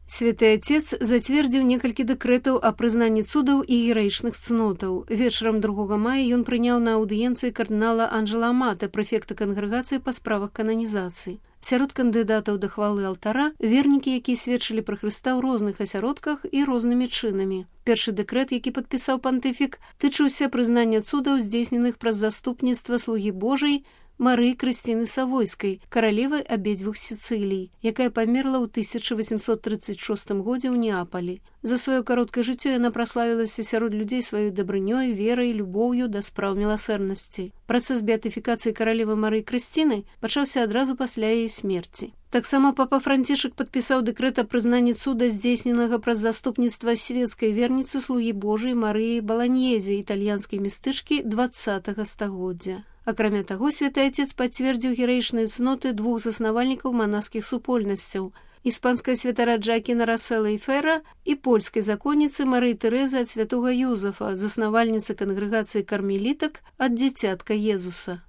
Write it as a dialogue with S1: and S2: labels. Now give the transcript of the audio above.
S1: Святы Отец зацвердзіў некалькі дэкрэтаў о прызнанні цудаў і гераічных цнотаў. Вечарам 2 мая ён прыняў на аўдыенцыі кардынала Анджела Амата, прэфекта кангрэгацыі па справах кананізацыі. Сярод кандыдатаў да хвалы алтара вернікі, якія сведчылі пра Хрыста ў розных асяродках і рознымі чынамі. Першы дэкрэт, які падпісаў пантыфік, тычыўся прызнання цудаў, здзейсненых праз заступніцтва слугі Божай Марыі Крысціны Савойскай, каралевай абедзвюх Сіцылій, якая памерла ў 1836 годзе ў Неапалі. За сваё кароткае жыццё яна праславілася сярод людзей сваёй дабрынёй, верай, любоўю да спраў міласэрнасці. Працэс беатыфікацыі каралевы Марыі Крысціны пачаўся адразу пасля яе смерці. Таксама папа Францішак падпісаў дэкрэт о прызнанні цуда, здзейсненага праз заступніцтва свецкай верніцы слугі Божай Марыі Баланьезе, італьянскай містычкі 20-го стагоддзя. Акрамя таго, святы Отец пацвердзіў гераічныя цноты 2 заснавальнікаў манаскіх супольнасцяў – іспанская святара Джакіна Рассела і Фера і польскай законніцы Марыі Тэрэзы ад святога Юзафа, заснавальніцы кангрэгацыі кармелітак ад дзіцятка Езуса.